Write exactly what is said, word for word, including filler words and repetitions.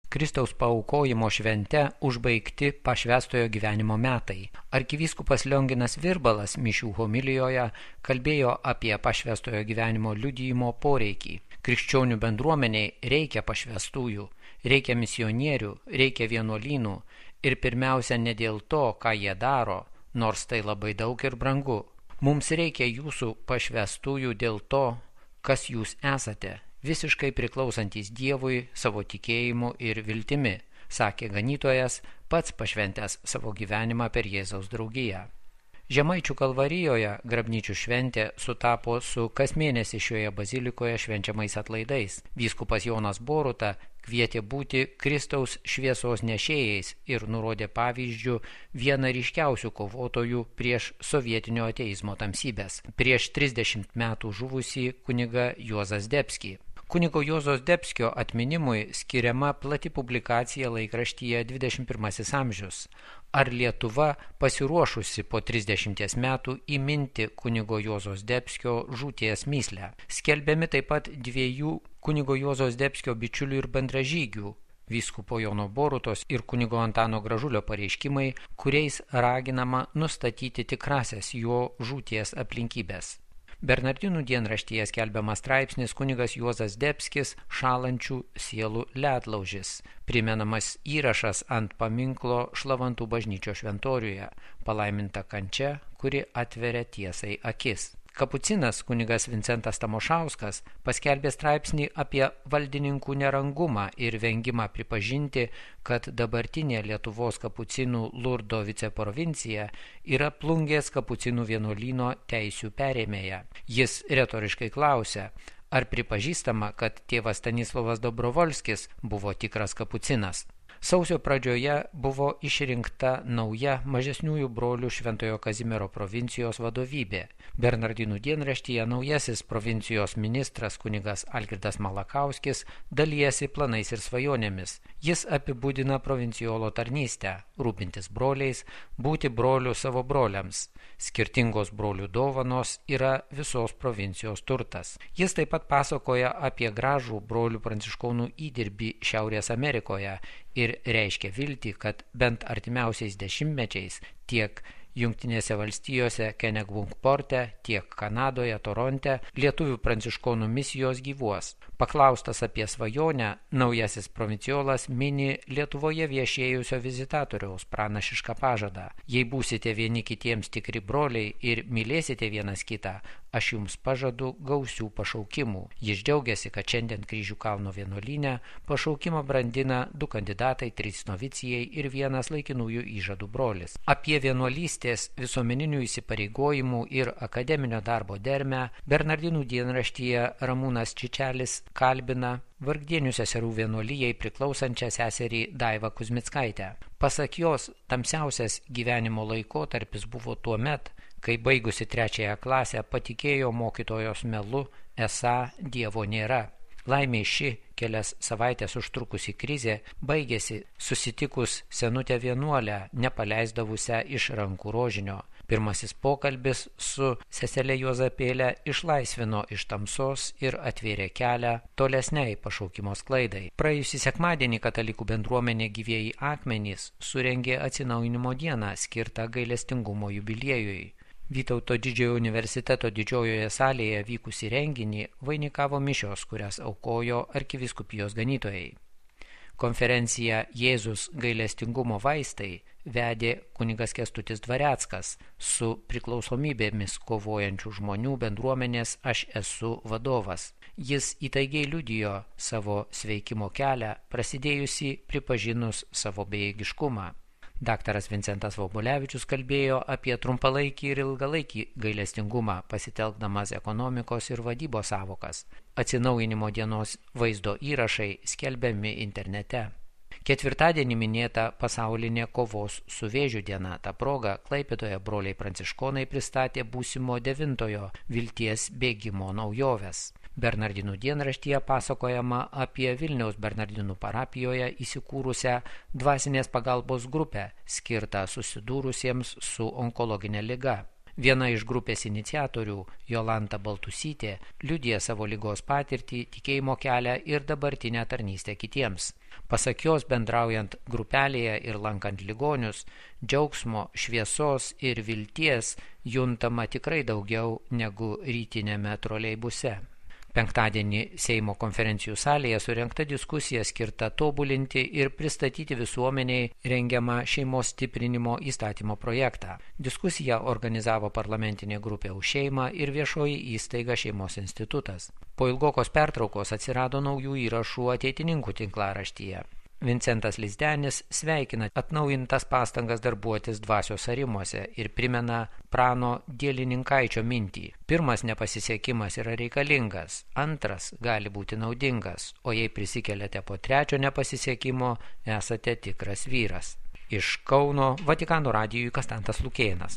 Kristaus paaukojimo švente užbaigti pašvęstojo gyvenimo metai. Arkivyskupas Lionginas Virbalas mišių homilijoje kalbėjo apie pašvęstojo gyvenimo liudijimo poreikį. Krikščionių bendruomeniai reikia pašvęstųjų, reikia misionierių, reikia vienuolynų ir pirmiausia ne dėl to, ką jie daro, nors tai labai daug ir brangu. Mums reikia jūsų pašvęstųjų dėl to, kas jūs esate, visiškai priklausantis Dievui savo tikėjimu ir viltimi, sakė ganytojas, pats pašventęs savo gyvenimą per Jėzaus draugiją. Žemaičių Kalvarijoje grabnyčių šventė sutapo su kas mėnesį šioje bazilikoje švenčiamais atlaidais. Vyskupas Jonas Boruta kvietė būti Kristaus šviesos nešėjais ir nurodė pavyzdžių vieną ryškiausių kovotojų prieš sovietinio ateizmo tamsybės. Prieš trisdešimt metų žuvusį kunigą Juozą Zdebskį. Kunigo Juozo Zdebskio atminimui skiriama plati publikacija laikraštyje dvidešimt pirmasis amžius. Ar Lietuva pasiruošusi po trisdešimties metų įminti kunigo Juozo Zdebskio žūties mįslę? Skelbiami taip pat dviejų kunigo Juozo Zdebskio bičiulių ir bendražygių, vyskupo Jono Borutos ir kunigo Antano Gražulio pareiškimai, kuriais raginama nustatyti tikrasias jo žūties aplinkybės. Bernardinų dienraštyje skelbiamas straipsnis kunigas Juozas Zdebskis šalančių sielų ledlaužis, primenamas įrašas ant paminklo Šlavantų bažnyčios šventoriuje, palaiminta kančia, kuri atveria tiesai akis. Kapucinas kunigas Vincentas Tamošauskas paskelbė straipsnį apie valdininkų nerangumą ir vengimą pripažinti, kad dabartinė Lietuvos kapucinų Lurdo viceprovincija yra Plungės kapucinų vienuolyno teisių perėmėja. Jis retoriškai klausia, ar pripažįstama, kad tėvas Stanislovas Dobrovolskis buvo tikras kapucinas. Sausio pradžioje buvo išrinkta nauja mažesniųjų brolių Šventojo Kazimiero provincijos vadovybė. Bernardinų dienraštyje naujasis provincijos ministras kunigas Algirdas Malakauskis dalijasi planais ir svajonėmis. Jis apibūdina provincijolo tarnystę, rūpintis broliais, būti broliu savo broliams. Skirtingos brolių dovanos yra visos provincijos turtas. Jis taip pat pasakoja apie gražų brolių pranciškonų įdirbį Šiaurės Amerikoje ir reiškia viltį, kad bent artimiausiais dešimtmečiais tiek Jungtinėse valstijose Kenegbunkporte, tiek Kanadoje, Toronte lietuvių pranciškonų misijos gyvuos. Paklaustas apie svajonę, naujasis provinciolas mini Lietuvoje viešėjusio vizitatoriaus pranašišką pažadą. Jei būsite vieni kitiems tikri broliai ir mylėsite vienas kitą, aš jums pažadu gausių pašaukimų. Jis džiaugiasi, kad šiandien Kryžių kalno vienuolyne pašaukimą brandina du kandidatai, trys novicijai ir vienas laikinųjų įžadų brolis. Apie vienuolystės, visuomeninių įsipareigojimų ir akademinio darbo dermę Bernardinų dienraštyje Ramūnas Čičelis kalbina Vargdienių seserų vienuolijai priklausančią seserį Daivą Kuzmickaitę. Pasak jos, tamsiausias gyvenimo laikotarpis buvo tuo met, kai baigusi trečiąją klasę patikėjo mokytojos melu, esą Dievo nėra. Laimė ši kelias savaitės užtrukusi krizė baigėsi susitikus senutę vienuolę, nepaleisdavusią iš rankų rožinio. Pirmasis pokalbis su seselė Juozapėlė išlaisvino iš tamsos ir atvėrė kelią tolesniai pašaukimo sklaidai. Praėjusį sekmadienį katalikų bendruomenė Gyvieji akmenys surengė atsinaujinimo dieną skirtą gailestingumo jubiliejui. Vytauto didžiojo universiteto didžiojoje salėje vykusį renginį vainikavo mišios, kurias aukojo arkivyskupijos ganytojai. Konferenciją Jėzus gailestingumo vaistai vedė kunigas Kęstutis Dvareckas su priklausomybėmis kovojančių žmonių bendruomenės Aš esu vadovas. Jis įtaigiai liudijo savo sveikimo kelią, prasidėjusi pripažinus savo bejėgiškumą. Daktaras Vincentas Vobulevičius kalbėjo apie trumpalaikį ir ilgalaikį gailestingumą, pasitelkdamas ekonomikos ir vadybos sąvokas. Atsinaujinimo dienos vaizdo įrašai skelbiami internete. Ketvirtadienį minėta pasaulinė kovos su vėžiu diena. Ta proga Klaipėdoje broliai pranciškonai pristatė būsimo devintojo vilties bėgimo naujoves. Bernardinų dienraštyje pasakojama apie Vilniaus Bernardinų parapijoje įsikūrusią dvasinės pagalbos grupę, skirtą susidūrusiems su onkologinė liga. Viena iš grupės iniciatorių, Jolanta Baltusytė, liudija savo ligos patirtį, tikėjimo kelią ir dabartinę tarnystę kitiems. Pasak jos, bendraujant grupelėje ir lankant ligonius, džiaugsmo, šviesos ir vilties juntama tikrai daugiau negu rytinėme troleibuse. Penktadienį Seimo konferencijų salėje surengta diskusija skirta tobulinti ir pristatyti visuomeniai rengiamą šeimos stiprinimo įstatymo projektą. Diskusiją organizavo parlamentinė grupė Už šeimą ir viešoji įstaiga Šeimos institutas. Po ilgokos pertraukos atsirado naujų įrašų ateitininkų tinklaraštyje. Vincentas Lizdenis sveikina atnaujintas pastangas darbuotis dvasios arimuose ir primena Prano Dielininkaičio mintį. Pirmas nepasisekimas yra reikalingas, antras gali būti naudingas, o jei prisikeliate po trečio nepasisekimo, esate tikras vyras. Iš Kauno Vatikano radijui Kastantas Lukėnas.